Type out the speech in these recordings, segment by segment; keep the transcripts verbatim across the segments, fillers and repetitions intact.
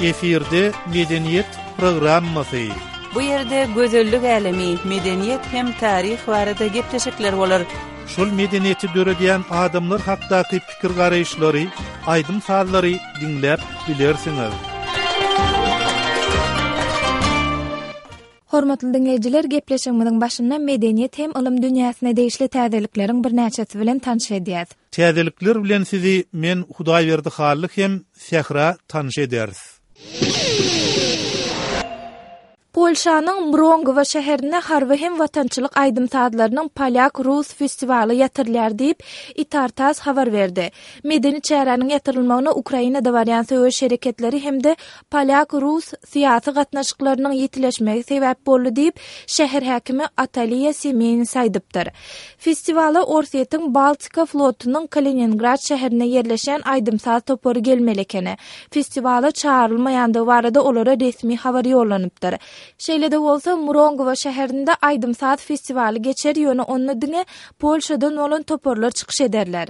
Efirde Medeniýet programmasy. Bu ýerde gözellik älemi, medeniýet hem taryh barada gepleşikler bolar. Şol medeniýeti döredýän adamlar hakdaky pikir-garaýyşlary, aýdym-sazlary diňläp bilersiňiz. Hormatly diňleýjiler, gepleşigimiziň başynda medeniýet hem ylym dünýäsine degişli täzelikleriň birnäçesi bilen tanyş edýäs. Täzelikler bilen sizi men Hudaýberdi Hally hem Sähra tanyş ederis. Polşanyň Mrongowa şäherinde harby hem watançylyk aýdym-sazlarynyň polýak-rus festiwaly ýatyrylýar diýip, Itar-Tass habar berdi. Medeni çäräniň ýatyrylmagyna Ukrainada barýan söweş hereketleri hem-de polýak-rus syýasy gatnaşyklarynyň ýitileşmegi sebäp boldy diýip, şäher häkimi Ataliýa Semenis aýdypdyr. Festiwala Orsýetiň Baltika flotunyň Kaliningrad şäherinde ýerleşýän aýdym-saz topary gelmeli ekeni. Festiwala çagyrylmaýandygy barada olara resmi habar ýollanypdyr. Şeýle-de bolsa, Murongowa şäherinde aýdym-saz festiwaly geçer, ýöne onda diňe Polşadan bolan toparlar çykyş ederler.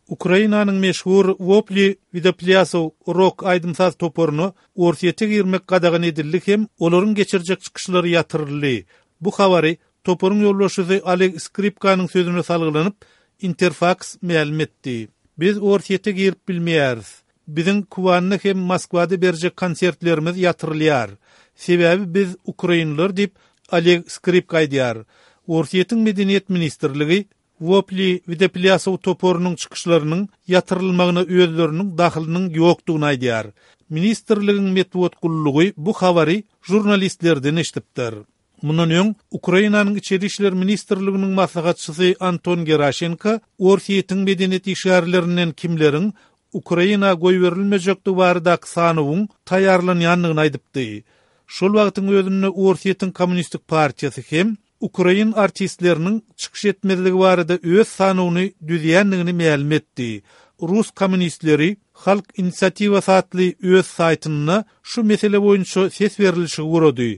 Ukrainanyň meşhur Wopli Widoplýasow rok aýdym-saz toparyna Orsýete girmek gadagan edildi hem olaryň geçirjek çykyşlary ýatyryldy. Bu habary toparyň ýolbaşçysy Oleg Skripkanyň sözüne salgylanyp, Interfaks mälim etdi. Biz Orsýete girip bilmeýäris. Biziň Kubanda hem Moskwada berjek konsertlerimiz ýatyrylýar. Sebäbi biz ukrainler diýip, Oleg Skripka aýdýar. Orsýetiň Medeniýet ministrligi Wopli Widoplýasow toparynyň çykyşlarynyň ýatyrylmagyna özleriniň dahylynyň ýokdugyny aýdýar. Ministrligiň metbugat gullugy bu habary žurnalistlerden eşidipdir. Mundan öň Ukrainanyň Içeri işler ministrliginiň maslahatçysy Anton Geraşenko Orsýetiň medeniýet işgärlerinden kimleriň Ukraina goýberilmejekdigi baradaky sanawyň taýýarlanýandygyny aýdypdy. Şol wagtyň özünde Orsýetiň Kommunistik partiýasy hem ukrain artistleriniň çykyş etmezligi barada öz sanawyny düzýändigini mälim etdi. Rus kommunistleri Halk inisiatiwasy atly öz saýtynda şu mesele boýunça ses berilişigi gurady.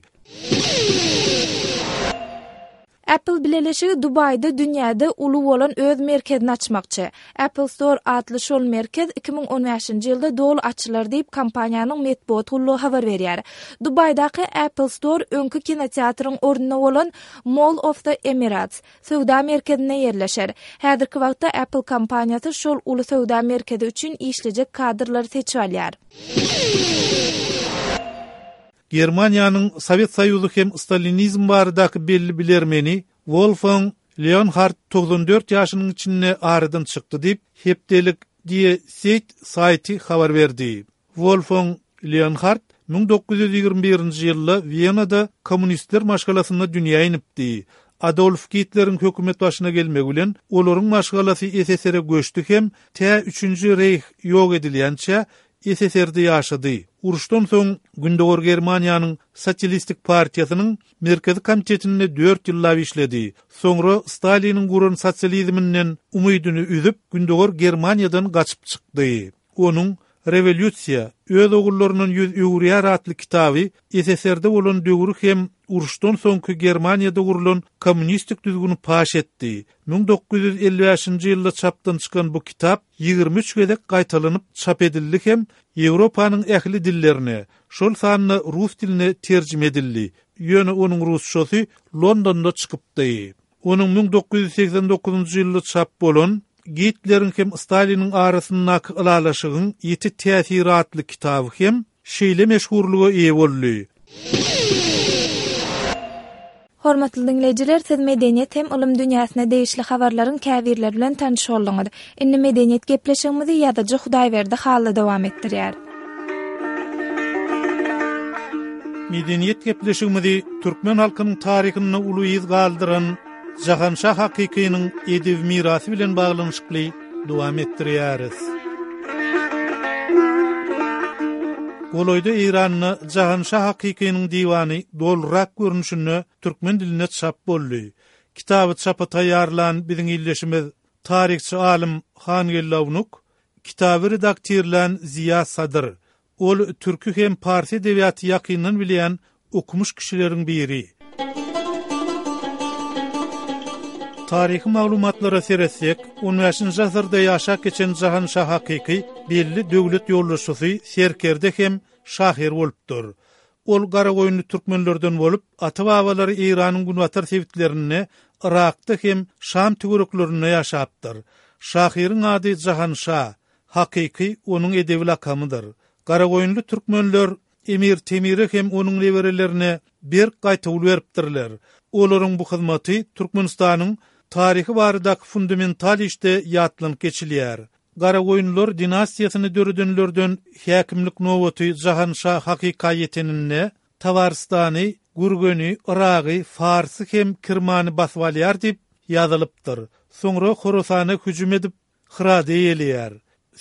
Apple bileleşigi Dubaýda dünýäde uly bolan öz merkezini açmakçy. Apple Store atly şol merkez iki müň on bäşinji ýylda doly açylar diýip, kompaniýanyň metbugat gullugy habar berýär. Dubaýdaky Apple Store öňki kinoteatryň ornunda bolan Mall of the Emirates söwda merkezinde ýerleşer. Häzirki wagtda Apple kompaniýasy şol uly söwda merkezi üçin işlejek kadrlary seçip alýar. Germaniýanyň Sowet Soýuzy hem stalinizm baradaky belli bilermeni Wolfgang Leonhard togsan dört ýaşynyň içinde aradan çykdy diýip, hepdelik Die Zeit saýty habar berdi. Wolfgang Leonhard müň dokuz ýüz ýigrimi birinji ýylda Wenada kommunistler maşgalasynda dünýä inipdi. Adolf Gitleriň hökümet başyna gelmegi bilen olaryň maşgalasy S S R-e göçdi hem tä üçünji Reýh ýok edilýänçä S S R-de ýaşady. Uruşdan soň Gündogar Germaniýanyň Sosialistik partiýasynyň Merkezi komitetinde dört ýyllap işledi. Soňra Staliniň guran sosializminden umydyny üzüp, Gündogar Germaniýadan gaçyp çykdy. Onuň Rewolýusiýa, öz ogullaryndan ýüz öwürýär atly kitaby S S R-de bolan döwri hem uruşdan soňky Germaniýada gurulan kommunistik düzgüni paş etdi. Müň dokuz ýüz elli bäşinji ýylda çapdan çykan bu kitap ýigrimi üç gezek gaýtalanyp çap edildi hem Ýewropanyň ähli dillerine, şol sanda rus diline terjime edildi. Ýöne onuň rusçasy Londonda çykypdy. Onuň müň dokuz ýüz segsen dokuzynjy ýylda çap bolan Gitleriň hem Staliniň arasyndaky ylalaşygyň ýiti täsiri atly kitaby hem şeýle meşhurlyga eýe boldy. Hormatly diňleýjiler, siz medeniýet hem ylym dünýäsine degişli habarlaryň käbirleri bilen tanyş bolduňyz. Indi medeniýet gepleşigimizi ýazyjy Hudaýberdi Hally dowam etdirýär. Medeniýet gepleşigimizi türkmen halkynyň taryhynda uly yz galdyran Jahanşah Hakykynyň edebi mirasy bilen baglanyşykly dowam etdirýäris. Golaýda Eýranda Jahanşah Hakykynyň diwany dolrak görnüşinde türkmen dilinde çap boldy. Kitaby çapa taýýarlan biziň illeşimiz taryhçy alym Hangeldi Awnuk, kitaby redaktirlän Ziya Sadyr. Ol türki hem parsi edebiýaty ýakyndan bilýän okumuş kişileriň biri. Taryhy maglumatlara seretsek, on bäşinji asyrda ýaşap geçen Jahanşah Hakyky belli döwlet ýolbaşçysy, serkerde hem şahyr bolupdyr. Ol Garagoýunly türkmenlerden bolup, ata-babalary Eýranyň günbatar sebitlerinde, Yrakda hem Şam töwereklerinde ýaşapdyr. Şahyryň ady Jahanşah, Hakyky onuň edebi lakamydyr. Garagoýunly türkmenler Emir Temire hem onuň neberelerine berk gaýtawul beripdirler. Olaryň bu hyzmaty Türkmenistanyň taryhy baradaky fundamental işde ýatlanyp geçilýär. Garagoýunlylar dinastiýasyny döredenlerden häkimlik nobaty Jahanşah Hakyka ýeteninde Tabarystany, Gürgeni, Yragy, Farsy hem Kirmany basyp alýar diýip ýazylypdyr. Soňra Horasana hüjüm edip, Hyrady eýeleýär.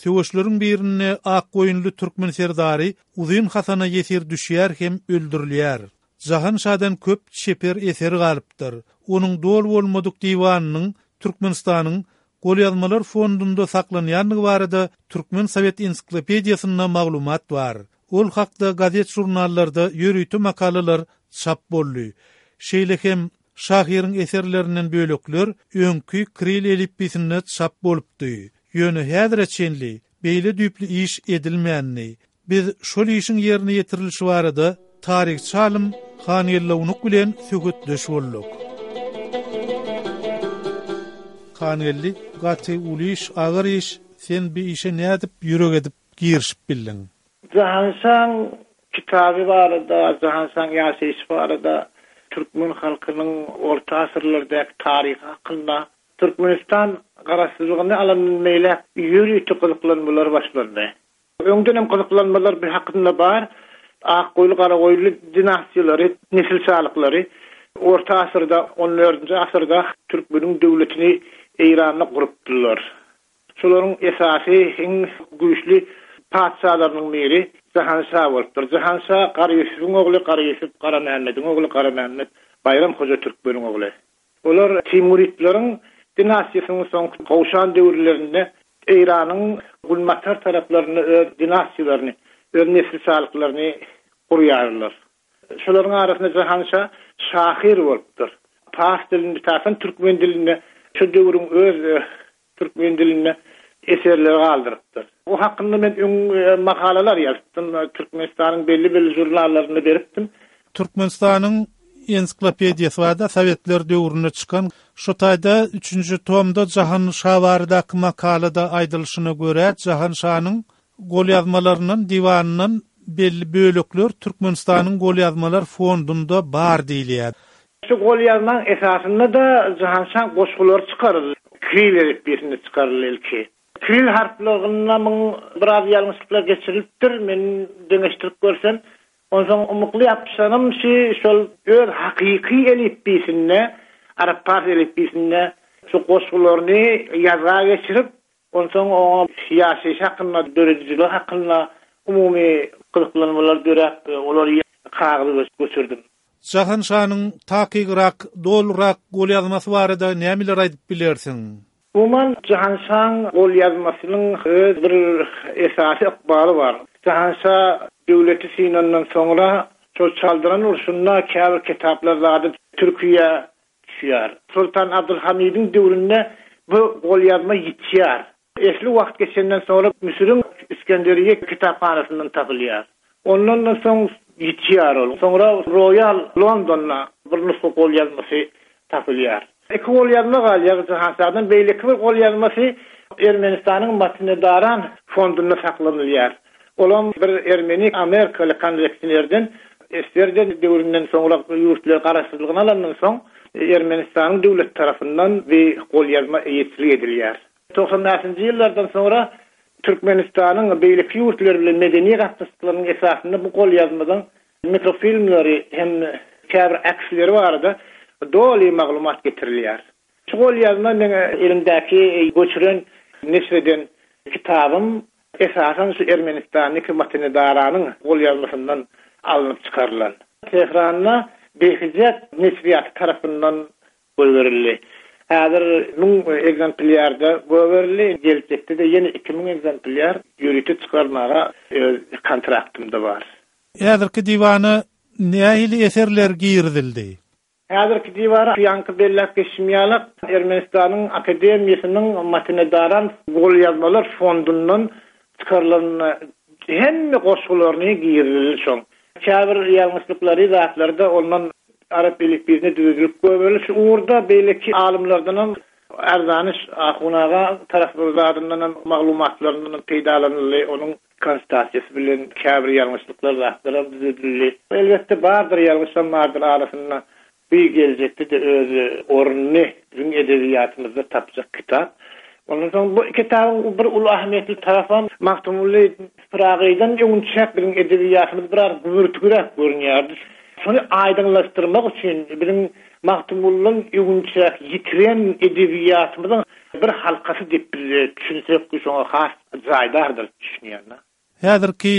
Söweşleriň birinde Akgoýunly türkmen serdary Uzyn Hasana ýesir düşýär hem öldürilýär. Jahan şadan köp çeper eser galypdyr. Onuň doly bolmadyk diwanynyň Türkmenistanyň Golýazmalar fondunda saklanýandygy barada Türkmen Sowet ensiklopediýasynda maglumat bar. Ol hakda gazet-žurnallarda ýörite makalalar çap boldy. Şeýle hem şahyryň eserlerinden bölekler öňki kril elipbiýsinde çap bolupdy. Ýöne häzire çenli beýle düýpli iş edilmändi. Biz şol işiň ýerine ýetirilişi barada taryhçy alym Hangeldi Ownuk bilen söhbetdeş bolduk. Hangeldi, gaty uly iş, agyr iş, sen bi işe nädip ýürek edip girişip bildiň? Jahanşaň kitaby barada, Jahanşaň ýaşaýşy barada, türkmen halkynyň orta asyrlardaky taryhy hakynda Türkmenistan garaşsyzlygyny alandan beýläk ýörite gyzyklanmalar başlandy. Öňden hem gyzyklanmalar bir hakynda bar. Akgoýly, Garagoýly dinastiýalary, nesilşalyklary orta asyrda, on dördünji asyrda türkmeniň döwletini Eýranda gurupdylar. Şolaryň esasy iň güýçli patyşalarynyň biri Jahanşah bolupdyr. Jahanşah Gara Ýusubyň ogly, Gara Ýusup Gara Mämmediň ogly, Gara Mämmet Baýram Hoja Türkmeniň ogly. Olar Timuritleriň dinastiýasynyň soňky gowşan döwürlerinde Eýranyň günbatar taraplarynda öz dinastiýalaryny, öz nesilşalyklaryny gurýarlar. Şolaryň arasynda Jahanşah şahyr bolupdyr. Pars dilinde, esasan türkmen dilinde, şu döwrüň öz türkmen dilinde eserleri galdyrypdyr. O hakynda men öň makalalar ýazypdym, Türkmenistanyň belli-belli žurnallarynda beripdim. Türkmenistanyň ensiklopediýasy barada Sowetler döwründe çykan şu taýda üçünji tomda Jahan Şah baradaky makalada aýdylyşyna görä Jahan Şanyň golýazmalaryndan, diwanyndan belli bölekler Türkmenistanyň golýazmalar fondunda bar diýilýär. Şu golýazmaň esasynda-da Jahan Şaň goşgulary çykaryldy. Kiril elipbiýsinde çykaryldy ilki. Kiril harplarynda muň biraz ýalňyşlyklar geçirilipdir, men deňeşdirip görsem. Onsoň umukly ýapyşanym şi şol öz hakyky elipbiýsinde, arap-pars elipbiýsinde şu goşgularyny ýazga geçirip, onsoň oňa ýaşaýyş hakynda, döredijiligi hakynda umumy gyzyklanmalar döräp, olary kagyza göçürdim. Jahan şanyň takygrak, dolurak golýazmasy barada nämeler aýdyp bilersiň? Umuman, Jahan şaň golýazmasynyň öz bir esasy ykbaly bar. Jahan şa döwleti synandan soňra şol Çaldyran urşunda käbir kitaplar zady Türkiýä düşýär. Sultan Abdülhamidiň döwründe bu golýazma ýitýär. Esli wagt geçenden soňra Müsüriň Iskenderiýe kitaphanasyndan tapylýar. Ondan da soň ýitýär ol. Soňra Royal Londonda bir nusga golýazmasy tapylýar. Iki golýazma galýar Jahan şadan, beýleki bir golýazmasy Ermenistanyň Matenadaran fondunda saklanylýar. Olam bir ermeni amerikaly kolleksionerden Esgerden döwründen soňra ýurtlar garaşsyzlygyny alandan soň Ermenistanyň döwlet tarapyndan bir golýazma eýeçilik edilýär. Togsan bäşinji ýyllardan soňra Türkmenistanyň beýleki ýurtlar bilen medeni gatnaşyklarynyň esasynda bu golýazmadan mikrofilmleri hem käbir aksleri barada doly maglumat getirilýär. Şu golýazma meň elimdäki göçüren, neşir eden kitabym esasan şu Ermenistandaky Matenadaranyn golýazmasyndan alnyp çykarylan. Tehranda Behzat neşirýaty tarapyndan goýberildi. Häzir müň egzemplýarda goýberildi, geljekde-de ýene iki müň egzemplýar ýörite çykarmaga öz kontraktymda bar. Häzirki diwana nähili eserler girizildi? Häzirki diwara ýaňky belläp geçim ýaly Ermenistanyň Akademiýasynyň Matenedaran golýazmalar fondundan çykarylan hemme goşgularyny girizildi şoň. Käbir ýalňyşlyklary zatlarda ondan arap elipbiýine düzülip goýberildi. Şu ugurda beýleki alymlardan Erzaniş Ahunaga taraplaryndan hem maglumatlaryndan peýdalanyldy. Onuň konstatasiýasy bilen käbir ýalňyşlyklar zatlar düzüldi. Elbetde bardyr ýalňyşam bardyr arasynda. Bir geljekde de öz ornuny biziň edebiýatymyzda tapjak kitap. Ondan soň bu kitabyň bir uly ähmiýetli tarapy Magtymguly Pyragydan öňçäk biziň edebiýatymyz biraz gümürtikräk görünýärdi. Şony aýdyňlaşdyrmak üçin biziň Magtymgulydan öňçäk ýitiren edebiýatymyzyň bir halkasy diýip biz düşünsek, şoňa has jaýdardyr düşünýän. Häzirki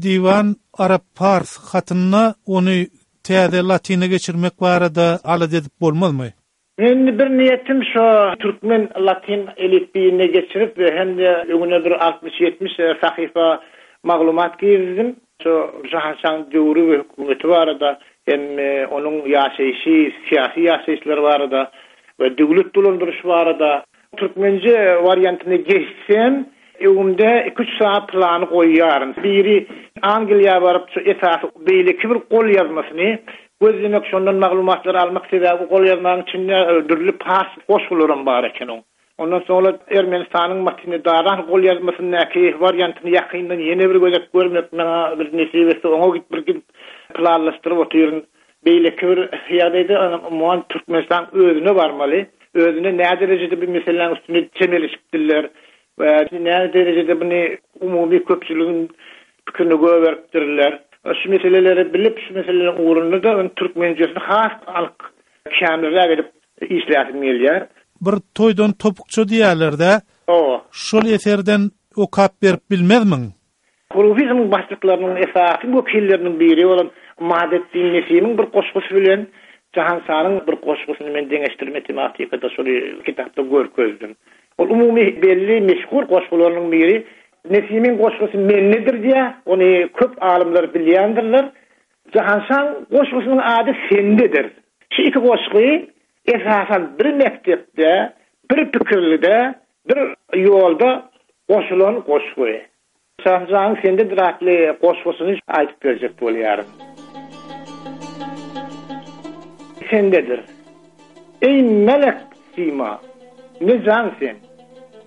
diwan arap pars hatynda ony täze latyna geçirmek barada alada edip bolmazmy? Men bir niýetim şu türkmen latyn elipbiýine geçirip we hem de öňüne bir altmyş ýetmiş sahypa maglumat girizdim. Şu Jahanşaň döwri we hökümeti barada hem onuň ýaşaýşy, syýasy ýaşaýyşlary barada we döwlet dolandyryş barada türkmençe wariantyny geçsem, öňümde iki üç saat plany goýýaryn. Biri Angliýa baryp şu esasy beýleki bir gol ýazmasyny gözlemek, şondan maglumatlary almak sebäbi gol ýazmagyň içinde dürli pars goşgularam bar eken oň. Ondan soňra Ermenistanyň Matenedaran gol ýazmasyndaky wariantyny ýakyndan ýene bir gözek görmek maňa bir nesip etse, oňa gidip bir gidip planlaşdyryp otyryn. Beýleki bir ýagdaýda umuman Türkmenistan özüne barmaly. Özüne näme derejede bir meseläniň üstüne çemeleşipdirler we näme derejede bunu umumy köpçüligiň pikirini göberipdirler. Şu meseleleri bilip, şu meselelerin ugrunda da ön türkmençesini has anyk kämilräk edip işläsim gelýär. Bir toýdan topukça diýerler-de. O. Şol eserden okap berip bilmezmiň? Hurufizmiň başlyklarynyň esasy wekilleriniň biri bolan Madetdin Nesimiň bir goşgusy bilen Jahanşanyň bir goşgusyny men deňeşdirme tematikada şol kitapda görkezdim. Ol umumy belli meşhur goşgularynyň biri Nesimiň goşgusy mennedir diýä, ony köp alymlar bilýändirler. Jahanşan goşgusynyň ady sendedir. Şu iki goşgy esasan bir mektepde, bir pikirlide, bir ýolda goşulan goşgy. Jahanşanyň sendedir atly goşgusyny aýdyp berjek bolýaryn. Sendedir. Ey melek sima, ne can sen?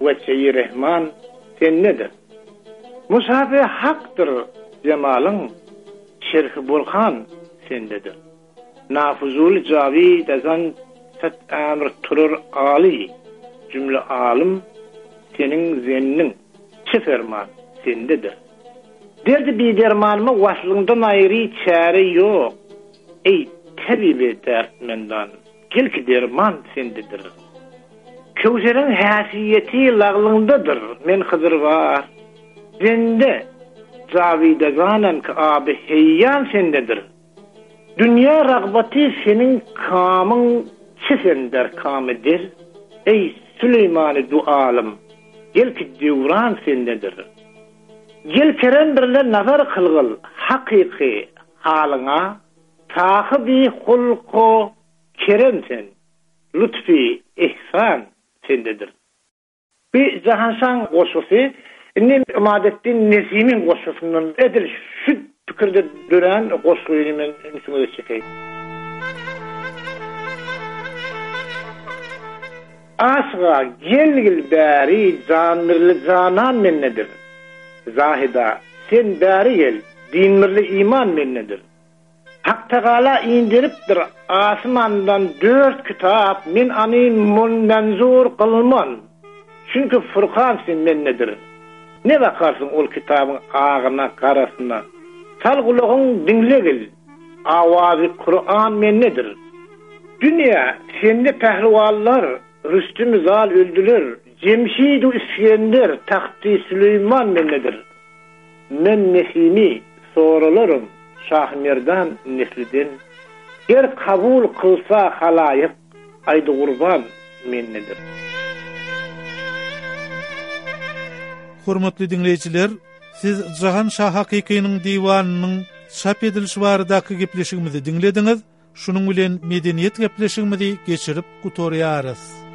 Veçeyi Rehman sen nedir? Musafi hakdyr cemalyň, şerhi burhan sendedir. Nafuzul cavid ezan set emr turur ali, cümle alım senin zennin, çi ferman sendedir. Derdi bir dermanıma vaslından ayrı çare yok. Ey tabibi dertmendan, gel ki derman sendedir. Kewserin hasiyeti lağlındadır, men Hızır var. Zende, zavide zanem ki abi heyyan sendedir. Dünya rağbeti senin kamın çi sender kamıdır. Ey Süleyman-ı dualım, gel ki devran sendedir. Gel kerem birle nazar kılgıl, hakiki halına, sahibi hulku kerem sen, lütfi ihsan sendedir. Bir Jahanşan goşgusy, indi Imadetdin Nesimiň goşgusundan edil şu pikirde dören goşguny men ünsüňize çekeýin. Aşga gelgil bäri janmirli janan mennedir. Zahida sen bäri gel, dinmirli iman mennedir. Hak Teala indiripdir asmandan dört kitap, men ani menzur kılman. Çünkü Furkan sen mennedir. Ne bakarsın ol kitabın ağına, karasına? Sal kulağın dinlegil. Avazi Kur'an mennedir. Dünya sende pehlivanlar, Rüstüm Zal öldüler. Cemşid-u İskender, Tahtı Süleyman mennedir. Men Nesimi soralarım Şah Merdan nesliden. Ger kabul kılsa halayık, aydı kurban mennedir. Hormatly dinleýjiler, siz Jahan Şah Hakykynyň diwanynyň çap edilişi baradaky gepleşigimizi dinlediňiz. Şunuň bilen medeniýet gepleşigimizi geçirip gutarýarys.